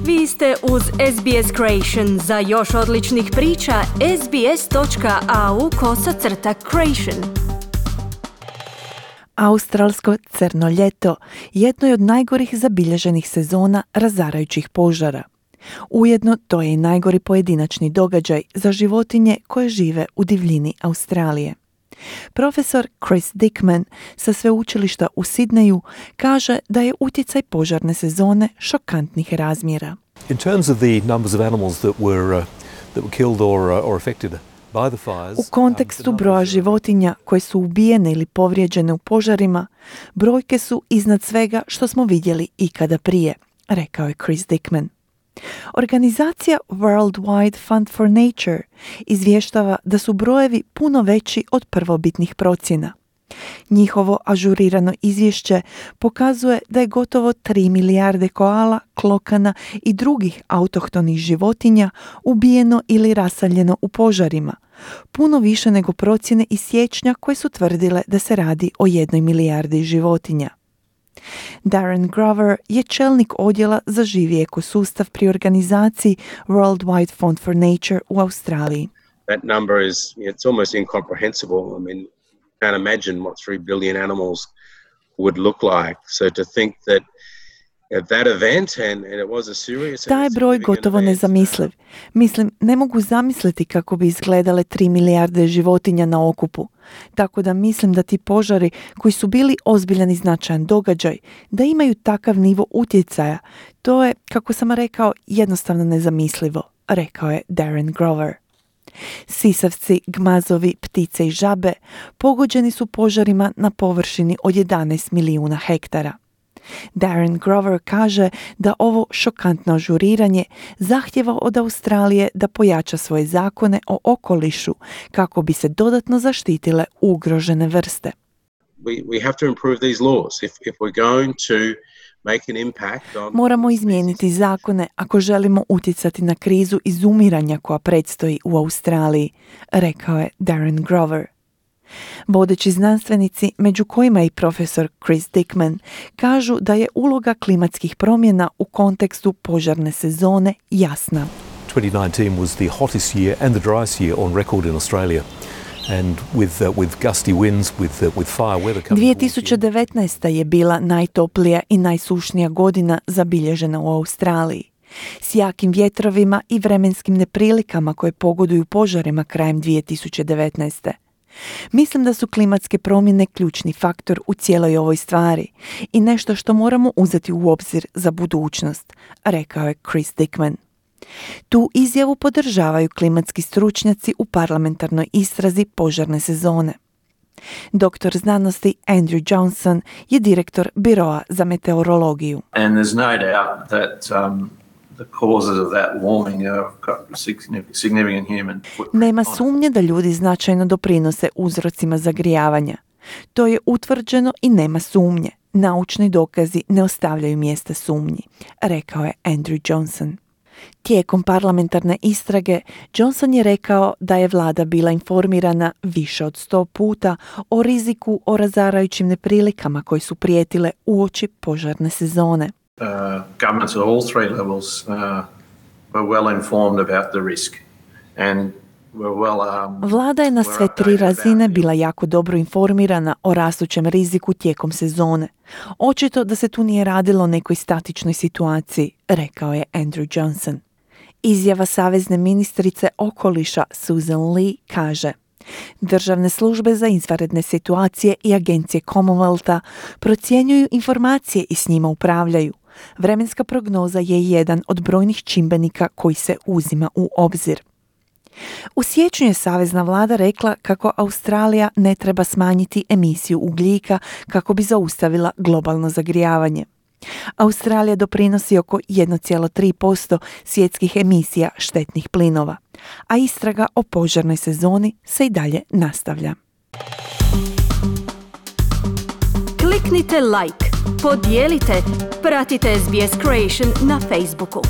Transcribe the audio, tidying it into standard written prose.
Vi ste uz SBS Creation. Za još odličnih priča, sbs.au/creation. Australsko crno ljeto jedno je od najgorih zabilježenih sezona razarajućih požara. Ujedno to je i najgori pojedinačni događaj za životinje koje žive u divljini Australije. Profesor Chris Dickman sa sveučilišta u Sidneju kaže da je utjecaj požarne sezone šokantnih razmjera. In terms of the numbers of animals that were killed or affected by the fires, u kontekstu broja životinja koje su ubijene ili povrijeđene u požarima, brojke su iznad svega što smo vidjeli ikada prije, rekao je Chris Dickman. Organizacija World Wide Fund for Nature izvještava da su brojevi puno veći od prvobitnih procjena. Njihovo ažurirano izvješće pokazuje da je gotovo 3 milijarde koala, klokana i drugih autohtonih životinja ubijeno ili raseljeno u požarima, puno više nego procjene iz siječnja koje su tvrdile da se radi o 1 milijardi životinja. Darren Grover je čelnik odjela za živi ekosustav pri organizaciji World Wide Fund for Nature u Australiji. That number it's almost incomprehensible. I mean, can't imagine what 3 billion animals would look like. So to think that at that event and it was a serious... Taj broj gotovo nezamisliv. Mislim, ne mogu zamisliti kako bi izgledale 3 milijarde životinja na okupu. Tako da mislim da ti požari koji su bili ozbiljan i značajan događaj, da imaju takav nivo utjecaja, to je, kako sam rekao, jednostavno nezamislivo, rekao je Darren Grover. Sisavci, gmazovi, ptice i žabe pogođeni su požarima na površini od 11 milijuna hektara. Darren Grover kaže da ovo šokantno ažuriranje zahtjeva od Australije da pojača svoje zakone o okolišu kako bi se dodatno zaštitile ugrožene vrste. We have to improve these laws if we're going to make an impact on... Moramo izmijeniti zakone ako želimo utjecati na krizu izumiranja koja predstoji u Australiji, rekao je Darren Grover. Vodeći znanstvenici, među kojima i profesor Chris Dickman, kažu da je uloga klimatskih promjena u kontekstu požarne sezone jasna. 2019 was the hottest year and the driest year on record in Australia. And with gusty winds, with fire weather coming 2019. je bila najtoplija i najsušnija godina zabilježena u Australiji. S jakim vjetrovima i vremenskim neprilikama koje pogoduju požarima krajem 2019. Mislim da su klimatske promjene ključni faktor u cijeloj ovoj stvari i nešto što moramo uzeti u obzir za budućnost, rekao je Chris Dickman. Tu izjavu podržavaju klimatski stručnjaci u parlamentarnoj istrazi požarne sezone. Doktor znanosti Andrew Johnson je direktor Biroa za meteorologiju. And there's no doubt that the causes of that warming have got significant human footprint. Nema sumnje da ljudi značajno doprinose uzrocima zagrijavanja. To je utvrđeno i nema sumnje. Naučni dokazi ne ostavljaju mjesta sumnji, rekao je Andrew Johnson. Tijekom parlamentarne istrage, Johnson je rekao da je vlada bila informirana više od 100 puta o riziku o razarajućim neprilikama koji su prijetile uoči požarne sezone. Governments at all three levels were well informed about the risk and were well Vlada je na sve 3 razine bila jako dobro informirana o rastućem riziku tijekom sezone. Očito da se tu nije radilo o nekoj statičnoj situaciji, rekao je Andrew Johnson. Izjava savezne ministrice okoliša Susan Lee kaže: državne službe za izvanredne situacije i agencije Commonwealtha procjenjuju informacije i s njima upravljaju. Vremenska prognoza je jedan od brojnih čimbenika koji se uzima u obzir. U siječnju je savezna vlada rekla kako Australija ne treba smanjiti emisiju ugljika kako bi zaustavila globalno zagrijavanje. Australija doprinosi oko 1,3% svjetskih emisija štetnih plinova, a istraga o požarnoj sezoni se i dalje nastavlja. Kliknite like, podijelite, pratite SBS Creation na Facebooku.